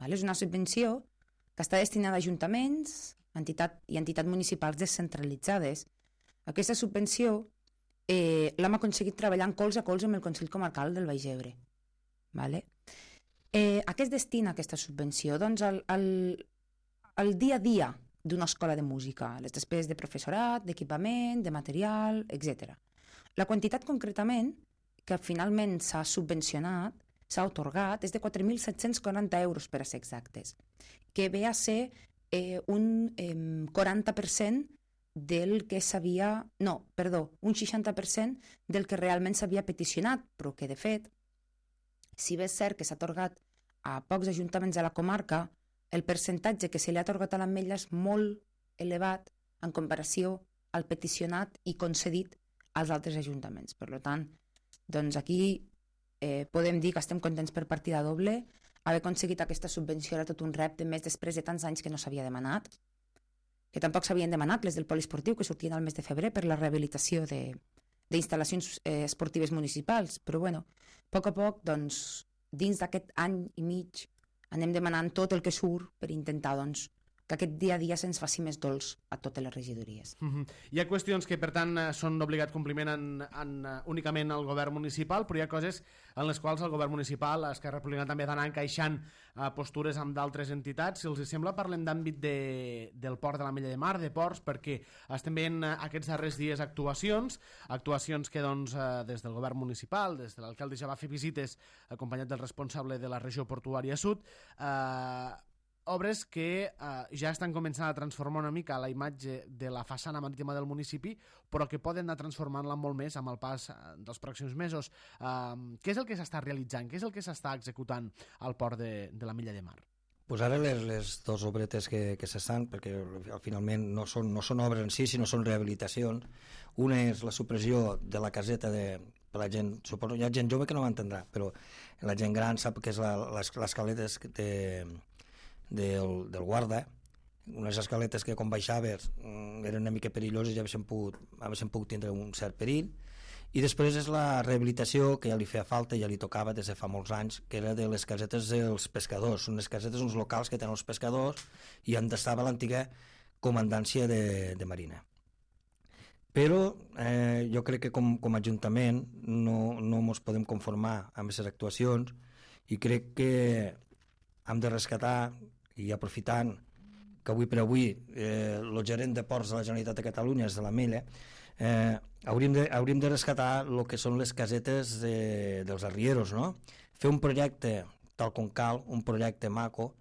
Val? És una subvenció que està destinada a ajuntaments entitat, i entitats municipals descentralitzades. Aquesta subvenció eh, l'hem aconseguit treballant colze a colze amb el Consell Comarcal del Baix Ebre. Vale? Eh, a què es destina aquesta subvenció? Doncs al, al, al dia a dia d'una escola de música, les despeses de professorat, d'equipament, de material, etcètera. La quantitat concretament que finalment s'ha subvencionat, s'ha atorgat, és de quatre mil set-cents quaranta euros per a ser exactes, que ve a ser eh, un eh, quaranta per cent del que s'havia... No, perdó, un seixanta per cent del que realment s'havia peticionat, però que de fet, si bé és cert que s'ha atorgat a pocs ajuntaments de la comarca, el percentatge que se li ha atorgat a l'Ametlla és molt elevat en comparació al peticionat i concedit als altres ajuntaments. Per tant, doncs aquí eh, podem dir que estem contents per partida doble. Haver aconseguit aquesta subvenció era tot un repte, més després de tants anys que no s'havia demanat, que tampoc s'havien demanat les del poliesportiu, que sortien al mes de febrer per la rehabilitació d'instal·lacions eh, esportives municipals. Però bueno, a poc a poc, doncs, dins d'aquest any i mig, anem demanant tot el que surt per intentar doncs, que aquest dia a dia se'ns faci més dolç a totes les regidories. Mm-hmm. Hi ha qüestions que, per tant, són d'obligat compliment en, en, únicament al govern municipal, però hi ha coses en les quals el govern municipal, Esquerra Republicana, també ha d'anar encaixant uh, postures amb d'altres entitats. Si els sembla, parlem d'àmbit de, del port de l'Ametlla de Mar, de ports, perquè estem veient uh, aquests darrers dies actuacions, actuacions que doncs, uh, des del govern municipal, des de l'alcalde ja va fer visites acompanyat del responsable de la regió portuària sud, eh, obres que eh, ja estan començant a transformar una mica la imatge de la façana marítima del municipi, però que poden anar transformant-la molt més amb el pas dels pròxims mesos. Eh, què és el que s'està realitzant? Què és el que s'està executant al port de, de l'Ametlla de Mar? Pues ara les, les dues obretes que, que s'estan, perquè finalment no són, no són obres en si, sinó són rehabilitacions. Una és la supressió de la caseta de, per la gent, suposo, hi ha gent jove que no m'entendrà, però la gent gran sap que és l'escaleta de Del, del guarda, unes escaletes que quan baixaves eren una mica perilloses i haguessin pogut, haguessin pogut tindre un cert perill. I després és la rehabilitació que ja li feia falta, ja li tocava des de fa molts anys, que era de les casetes dels pescadors, unes casetes, uns locals que tenen els pescadors i on estava l'antiga comandància de, de Marina. Però eh, jo crec que com, com a Ajuntament no, no ens podem conformar amb aquestes actuacions i crec que hem de rescatar, i aprofitant que avui per avui eh, el gerent de ports de la Generalitat de Catalunya és de l'Ametlla, eh, hauríem, de, hauríem de rescatar el que són les casetes de, dels arrieros, no? Fer un projecte tal com cal, un projecte maco,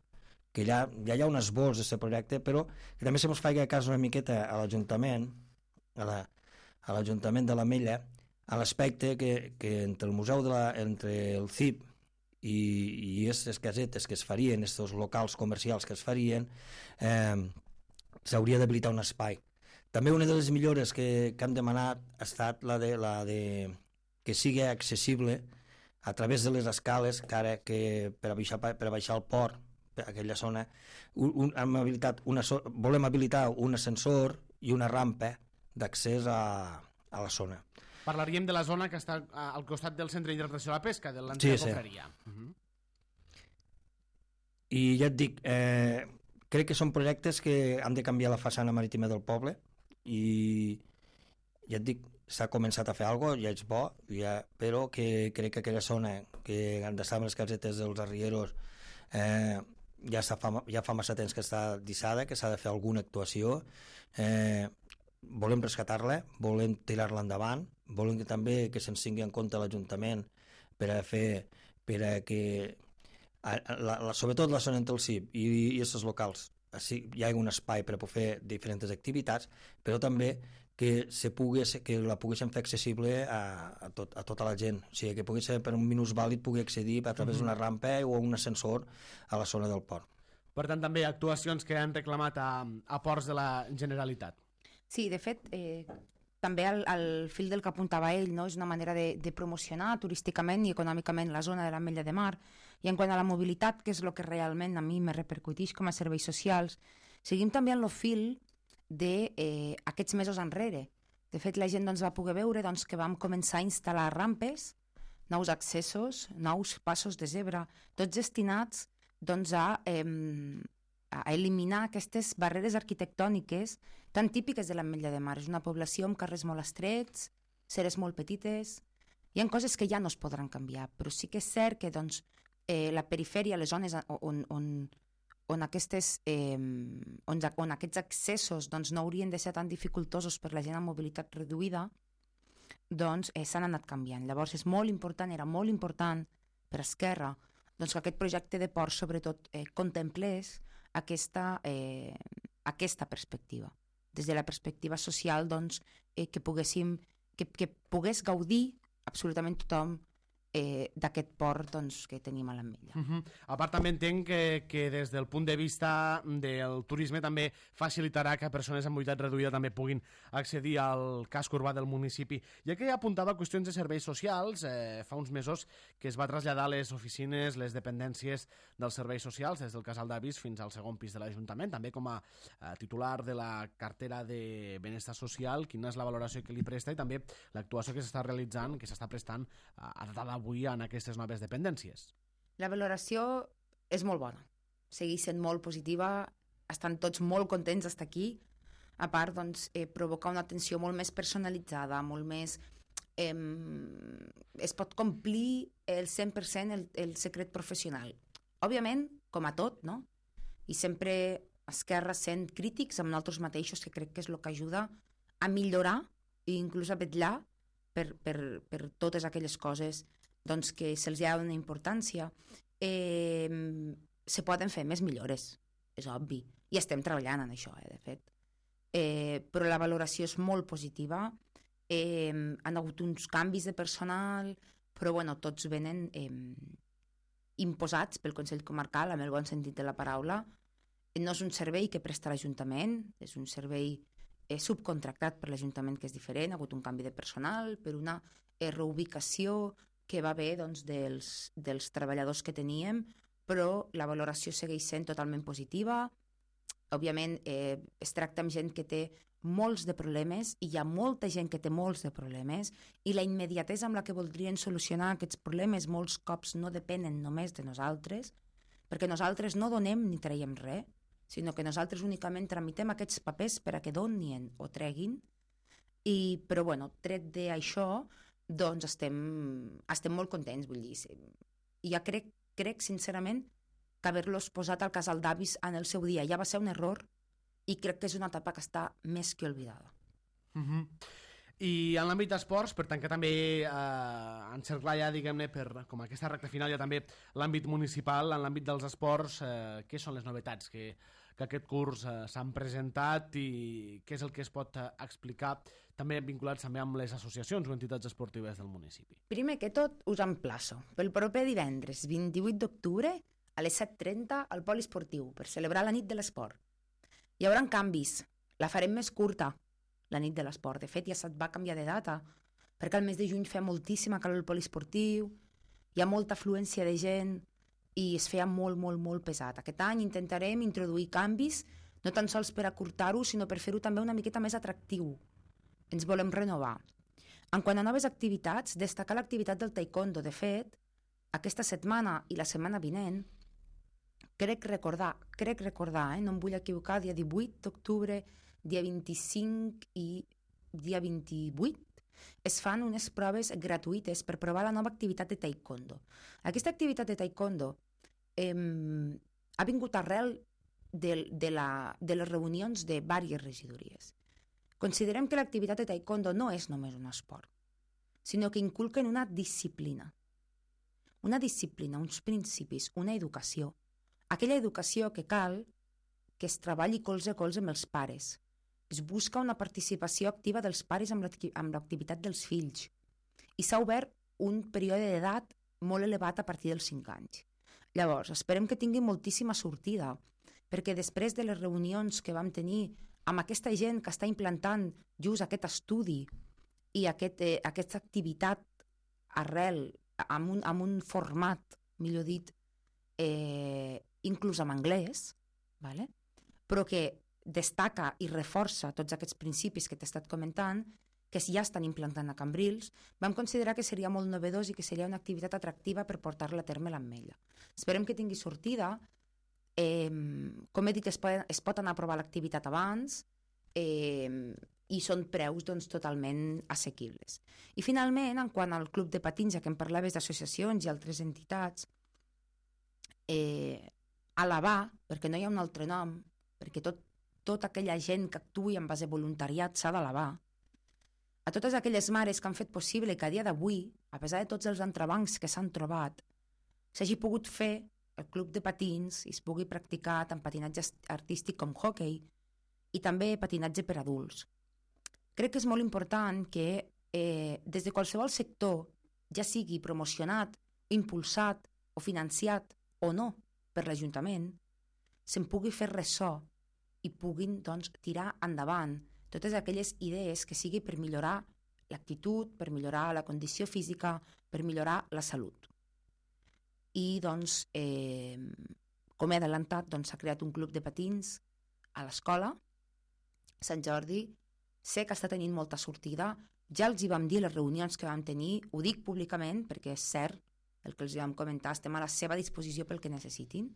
que ja, ja hi ha un esbós d'aquest projecte, però que també se mos faci cas una miqueta a l'Ajuntament, a la, a l'Ajuntament de l'Ametlla a l'aspecte que, que entre el museu de la, entre el C I P i, i aquestes casetes que es farien, aquests locals comercials que es farien, eh, s'hauria d'habilitar un espai. També una de les millores que, que hem demanat ha estat la de, la de que sigui accessible a través de les escales, que ara que per, baixar, per baixar el port, per aquella zona, un, un, hem habilitat una, volem habilitar un ascensor i una rampa d'accés a, a la zona. Parlaríem de la zona que està al costat del Centre d'Interpretació de la Pesca, de l'antiga sí, confraria. Sí. Uh-huh. I ja et dic, eh, crec que són projectes que han de canviar la façana marítima del poble i ja et dic, s'ha començat a fer alguna cosa, ja és bo, ja, però que crec que aquella zona que han d'estar amb les casetes dels arrieros eh, ja, fa, ja fa massa temps que està dissada, que s'ha de fer alguna actuació. Eh, volem rescatar-la, volem tirar-la endavant, volem que també que se'ns tingui en compte l'Ajuntament per a fer, per a que a, la, la, sobretot la zona entre el C I P i, i els locals així, hi ha un espai per a poder fer diferents activitats, però també que, se pugui, que la poguessin fer accessible a, a, tot, a tota la gent, o sigui, que pogués ser per un minusvàlid pugui accedir a través d'una rampa o un ascensor a la zona del port. Per tant, també actuacions que han reclamat a, a ports de la Generalitat. Sí, de fet, eh, també al, al fil del que apuntava ell, no? És una manera de, de promocionar turísticament i econòmicament la zona de l'Ametlla de Mar. I en quant a la mobilitat, que és el que realment a mi me repercuteix com a serveis socials, seguim també en el fil d'aquests eh, mesos enrere. De fet, la gent doncs, va poder veure doncs, que vam començar a instal·lar rampes, nous accessos, nous passos de zebra, tots destinats doncs, a, eh, a eliminar aquestes barreres arquitectòniques tan típiques de l'Ametlla de Mar. És una població amb carrers molt estrets, ceres molt petites, hi ha coses que ja no es podran canviar, però sí que és cert que doncs, eh, la perifèria, les zones on, on, on, aquestes, eh, on, on aquests accessos doncs, no haurien de ser tan dificultosos per la gent amb mobilitat reduïda, doncs eh, s'han anat canviant. Llavors és molt important, era molt important per Esquerra doncs, que aquest projecte de port sobretot eh, contemplés aquesta, eh, aquesta perspectiva. Des de la perspectiva social doncs, eh, que, poguéssim, que, que pogués gaudir absolutament tothom eh, d'aquest port doncs, que tenim a l'Ametlla. Uh-huh. A part també entenc que, que des del punt de vista del turisme també facilitarà que persones amb mobilitat reduïda també puguin accedir al casc urbà del municipi. Ja que he apuntat a qüestions de serveis socials, eh, fa uns mesos que es va traslladar les oficines, les dependències dels serveis socials des del Casal d'Avis fins al segon pis de l'Ajuntament, també com a eh, titular de la cartera de benestar social, quina és la valoració que li presta i també l'actuació que s'està realitzant, que s'està prestant a, a data d'avui en aquestes noves dependències. La valoració és molt bona, segueix sent molt positiva, estan tots molt contents d'estar aquí, a part doncs, eh, provocar una atenció molt més personalitzada, molt més... Eh, es pot complir el cent per cent el, el secret professional. Òbviament, com a tot, no? I sempre Esquerra sent crítics amb nosaltres mateixos, que crec que és el que ajuda a millorar i inclús a vetllar per, per, per totes aquelles coses doncs, que se'ls ha una importància. Eh, se poden fer més millores, és obvi, i estem treballant en això, eh, de fet. Eh, però la valoració és molt positiva, eh, han hagut uns canvis de personal, però bueno, tots venen eh, imposats pel Consell Comarcal, amb el bon sentit de la paraula. No és un servei que presta l'Ajuntament, és un servei eh, subcontractat per l'Ajuntament, que és diferent, ha hagut un canvi de personal, per una eh, reubicació que va bé doncs, dels, dels treballadors que teníem, però la valoració segueix sent totalment positiva. Òbviament, eh, es tracta amb gent que té molts de problemes, i hi ha molta gent que té molts de problemes, i la immediatesa amb la que voldrien solucionar aquests problemes molts cops no depenen només de nosaltres, perquè nosaltres no donem ni traiem res, sinó que nosaltres únicament tramitem aquests papers per a que donin o treguin, i, però bueno, tret d'això, doncs estem, estem molt contents, vull dir. I ja crec, crec sincerament que haver-los posat al Casal d'Avis en el seu dia ja va ser un error, i crec que és una etapa que està més que oblidada. Uh-huh. I en l'àmbit d'esports, per tant que també eh, encerclar ja, diguem-ne, per, com aquesta recta final, ja també l'àmbit municipal, en l'àmbit dels esports, eh, què són les novetats que, que aquest curs eh, s'han presentat i què és el que es pot eh, explicar, també vinculats també amb les associacions o entitats esportives del municipi. Primer que tot, us emplaço pel proper divendres, vint-i-vuit d'octubre, a les set trenta al poliesportiu, per celebrar la nit de l'esport. Hi haurà canvis, la farem més curta, la nit de l'esport. De fet, ja se't va canviar de data, perquè al mes de juny fa moltíssima calor al poliesportiu, hi ha molta afluència de gent i es feia molt, molt, molt pesat. Aquest any intentarem introduir canvis, no tan sols per acurtar-ho, sinó per fer-ho també una miqueta més atractiu. Ens volem renovar. En quant a noves activitats, destacar l'activitat del taekwondo. De fet, aquesta setmana i la setmana vinent, crec recordar, crec recordar, eh? no em vull equivocar, dia divuit d'octubre, dia vint-i-cinc i dia vint-i-vuit, es fan unes proves gratuïtes per provar la nova activitat de taekwondo. Aquesta activitat de taekwondo eh, ha vingut arrel de, de, la, de les reunions de diverses regidories. Considerem que l'activitat de taekwondo no és només un esport, sinó que inculquen una disciplina. Una disciplina, uns principis, una educació. Aquella educació que cal que es treballi colze a colze amb els pares. Es busca una participació activa dels pares amb l'activitat dels fills. I s'ha obert un període d'edat molt elevat a partir dels cinc anys. Llavors, esperem que tingui moltíssima sortida, perquè després de les reunions que vam tenir amb aquesta gent que està implantant just aquest estudi i aquest, eh, aquesta activitat arrel, amb un, amb un format, millor dit, eh, inclús en anglès, ¿vale? Però que destaca i reforça tots aquests principis que t'he estat comentant, que ja estan implantant a Cambrils, vam considerar que seria molt novedós i que seria una activitat atractiva per portar-la a terme l'Ametlla. Esperem que tingui sortida. Eh, com he dit, es pot, es pot anar a provar l'activitat abans eh, i són preus doncs, totalment assequibles. I finalment, en quant al club de patins, ja que em parlaves d'associacions i altres entitats, eh, alabar, perquè no hi ha un altre nom, perquè tot, tota aquella gent que actuï en base a voluntariat s'ha d'alabar, a totes aquelles mares que han fet possible que a dia d'avui, a pesar de tots els entrebancs que s'han trobat, s'hagi pogut fer el club de patins i es pugui practicar tant patinatge artístic com hockey i també patinatge per adults. Crec que és molt important que eh, des de qualsevol sector, ja sigui promocionat, impulsat o financiat o no per l'Ajuntament, se'n pugui fer ressò i puguin doncs, tirar endavant totes aquelles idees que sigui per millorar l'actitud, per millorar la condició física, per millorar la salut. I, doncs, eh, com he adelantat, doncs, s'ha creat un club de patins a l'escola, Sant Jordi. Sé que està tenint molta sortida. Ja els hi vam dir les reunions que vam tenir, ho dic públicament perquè és cert el que els vam comentar, estem a la seva disposició pel que necessitin.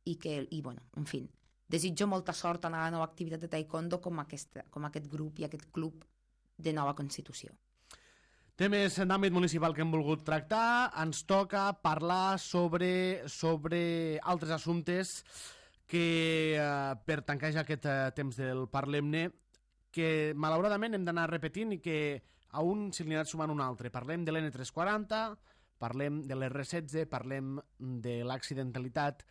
I, que, i bueno, en fi, desitjo molta sort en la nova activitat de taekwondo com, aquesta, com aquest grup i aquest club de nova constitució. Temes d'àmbit municipal que hem volgut tractar. Ens toca parlar sobre, sobre altres assumptes que, eh, per tancar ja aquest eh, temps del Parlem-ne, que malauradament hem d'anar repetint i que a un se li ha anat sumant un altre. Parlem de l'N tres cents quaranta, parlem de l'R setze, parlem de l'accidentalitat,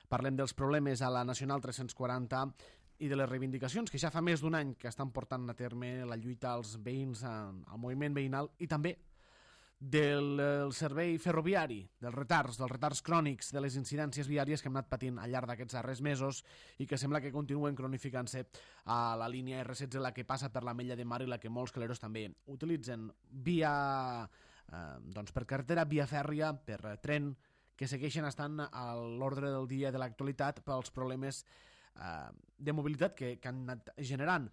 parlem dels problemes a la Nacional tres-cents quaranta i de les reivindicacions que ja fa més d'un any que estan portant a terme la lluita als veïns, al moviment veïnal, i també del, del servei ferroviari, dels retards, dels retards crònics, de les incidències viàries que hem anat patint al llarg d'aquests darrers mesos i que sembla que continuen cronificant-se a la línia R setze, la que passa per l'Ametlla de Mar i la que molts caleros també utilitzen via, eh, doncs per carretera, via fèrria, per tren, que segueixen estant a l'ordre del dia de l'actualitat pels problemes eh, de mobilitat que, que han anat generant.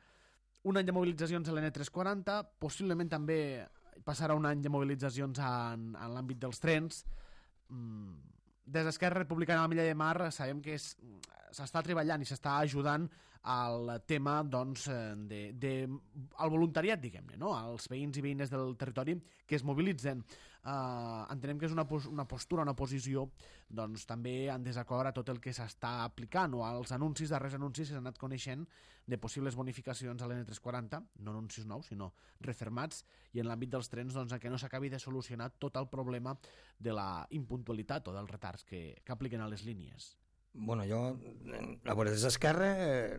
Un any de mobilitzacions a l'N tres cents quaranta, possiblement també passarà un any de mobilitzacions en, en l'àmbit dels trens. Des d'Esquerra Republicana de l'Ametlla de Mar sabem que s'està treballant i s'està ajudant al tema doncs, de, de, al voluntariat, diguem-ne, no? Als veïns i veïnes del territori que es mobilitzen. Uh, entenem que és una, pos una postura, una posició doncs, també en desacord a tot el que s'està aplicant o als anuncis, darrers anuncis que s'han anat coneixent de possibles bonificacions a l'N tres cents quaranta, no anuncis nous, sinó refermats, i en l'àmbit dels trens doncs, que no s'acabi de solucionar tot el problema de la impuntualitat o dels retards que, que apliquen a les línies. Bueno, jo, a veure, des d'Esquerra eh,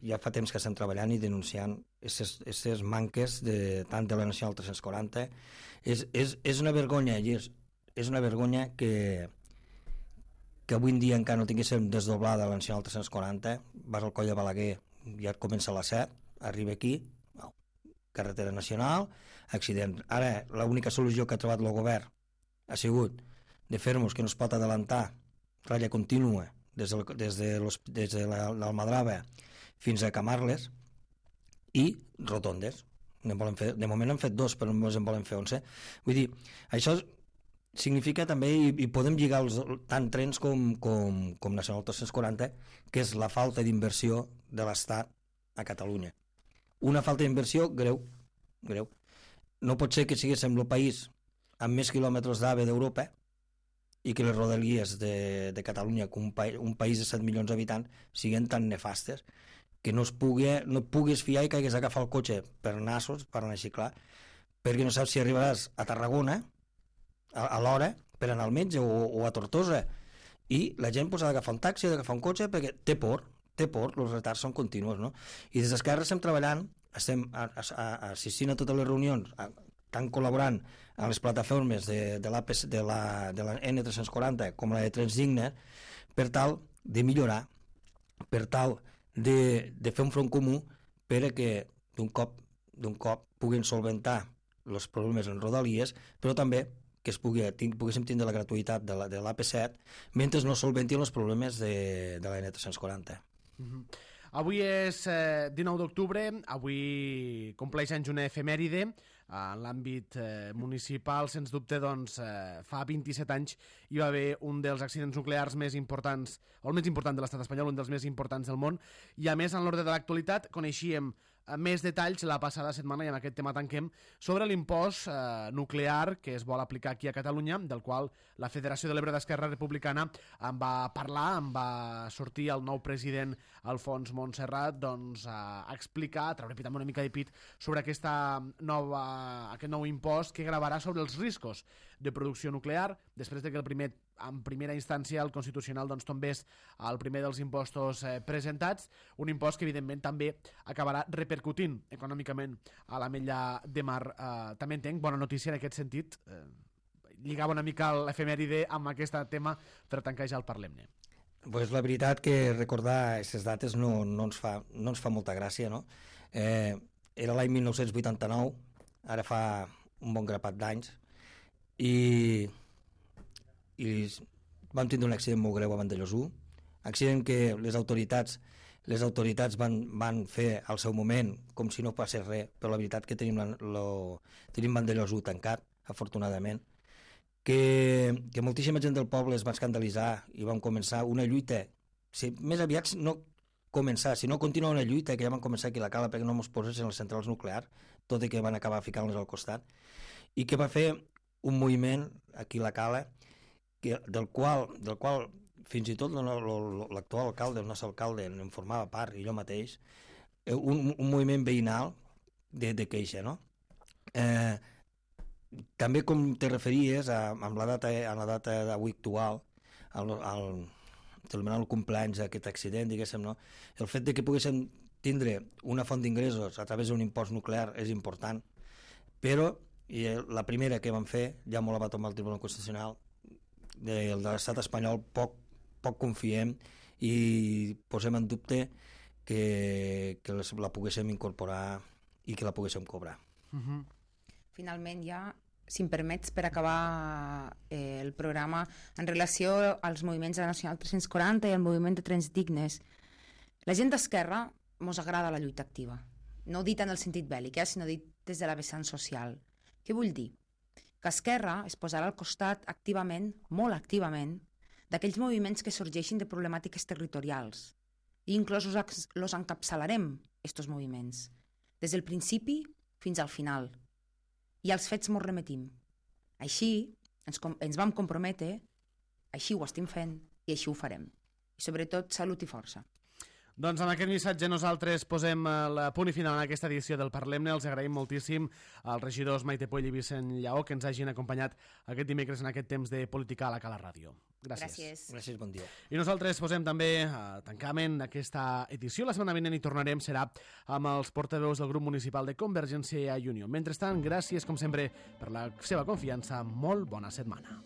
ja fa temps que estem treballant i denunciant aquestes manques de, tant de la Nacional tres-cents quaranta. És, és, és una vergonya, i és, és una vergonya que, que avui en dia encara no tinguéssim desdoblada la Nacional tres-cents quaranta. Vas al coll de Balaguer, ja et comença a les set, arriba aquí, oh, carretera nacional, accident. Ara, l'única solució que ha trobat el govern ha sigut de fer-nos que no es pot adelantar ratlla contínua des de, des de, des de l'Almadrava fins a Camarles i rotondes. Ne volen fer, de moment han fet dos, però només en volen fer onze. Vull dir, això significa també, i, i podem lligar els, tant trens com, com, com Nacional tres-cents quaranta, que és la falta d'inversió de l'Estat a Catalunya. Una falta d'inversió greu, greu. No pot ser que siguéssim el país amb més quilòmetres d'AVE d'Europa i que les rodalies de, de Catalunya, que un, pa, un país de set milions d'habitants, siguin tan nefastes que no es pugui, no et puguis fiar i que hagués d'agafar el cotxe per nassos, per anar a xiclar, perquè no saps si arribaràs a Tarragona a, a l'hora per anar al metge o, o a Tortosa, i la gent pues, ha d'agafar un taxi, ha d'agafar un cotxe perquè té por, té por, els retards són continus, no? I des d'Esquerra estem treballant, estem a, a, a, assistint a totes les reunions, a, tant col·laborant amb les plataformes de, de, la, de, la, de la N tres-cents quaranta com la de Trens Dignes, per tal de millorar, per tal de, de fer un front comú per a que d'un cop, d'un cop puguin solventar els problemes en rodalies, però també que es pugui, ting, poguéssim tindre la gratuïtat de l'A P set mentre no solventin els problemes de, de la N tres-cents quaranta. Mm-hmm. Avui és eh, dinou d'octubre, avui compleix anys una efemèride en l'àmbit eh, municipal. Sens dubte, doncs, eh, fa vint-i-set anys hi va haver un dels accidents nuclears més importants, o el més important de l'estat espanyol, un dels més importants del món, i a més, en l'ordre de l'actualitat, coneixíem més detalls la passada setmana, i amb aquest tema tanquem, sobre l'impost eh, nuclear que es vol aplicar aquí a Catalunya, del qual la Federació de l'Ebre d'Esquerra Republicana en va parlar, en va sortir el nou president Alfons Montserrat doncs, a explicar, a treure pit amb una mica de pit sobre aquesta nova, aquest nou impost que gravarà sobre els riscos de producció nuclear, després de que el primer, en primera instància el Constitucional doncs, tombés el primer dels impostos eh, presentats, un impost que evidentment també acabarà repercutint econòmicament a l'Ametlla de Mar. Eh, també entenc, bona notícia en aquest sentit, eh, lligava una mica l'efemèride amb aquest tema per tancar ja el Parlem-ne. Pues la veritat que recordar aquestes dates no, no, ens fa, no ens fa molta gràcia, no? Eh, era l'any mil nou-cents vuitanta-nou, ara fa un bon grapat d'anys, i, i vam tindre un accident molt greu a Vandellòs u, accident que les autoritats les autoritats van, van fer al seu moment com si no passés res, però la veritat que tenim, la, lo, tenim Vandellòs u tancat, afortunadament, que, que moltíssima gent del poble es va escandalitzar i vam començar una lluita, si, més aviat no començar, sinó continuar una lluita que ja van començar aquí a la Cala perquè no ens posessin les centrals nuclears, tot i que van acabar ficant-les al costat, i que va fer un moviment aquí a la Cala que, del, qual, del qual fins i tot l'actual alcalde, el nostre alcalde, en formava part, i jo mateix, un, un moviment veïnal de, de queixa, no? Eh, també com te referies a, amb la data, a la data d'avui actual, al, al, celebrant el cumpleaños d'aquest accident, diguéssim, no? El fet de que poguéssim tindre una font d'ingressos a través d'un impost nuclear és important, però i la primera que vam fer, ja molt la va tomar el Tribunal Constitucional, de, de l'estat espanyol poc, poc confiem i posem en dubte que, que la poguéssim incorporar i que la poguéssim cobrar. Uh-huh. Finalment, ja, si em permets, per acabar eh, el programa, en relació als moviments de la Nacional tres-cents quaranta i al moviment de Trens Dignes, la gent d'Esquerra mos agrada la lluita activa. No dit en el sentit bèl·lic, eh, sinó dit des de la vessant social. Què vull dir? Que Esquerra es posarà al costat activament, molt activament, d'aquells moviments que sorgeixin de problemàtiques territorials, i inclús els encapçalarem, estos moviments, des del principi fins al final, i als fets mos remetim. Així ens, ens vam comprometre, així ho estem fent i així ho farem. I sobretot, salut i força. Doncs amb aquest missatge nosaltres posem el punt i final en aquesta edició del Parlem-ne. Els agraïm moltíssim als regidors Maite Puell i Vicent Lleó que ens hagin acompanyat aquest dimecres en aquest temps de política a la Cala Ràdio. Gràcies. Gràcies. Gràcies, bon dia. I nosaltres posem també a tancament aquesta edició. La setmana vinent hi tornarem, serà amb els portaveus del grup municipal de Convergència i Unió. Mentrestant, gràcies, com sempre, per la seva confiança. Molt bona setmana.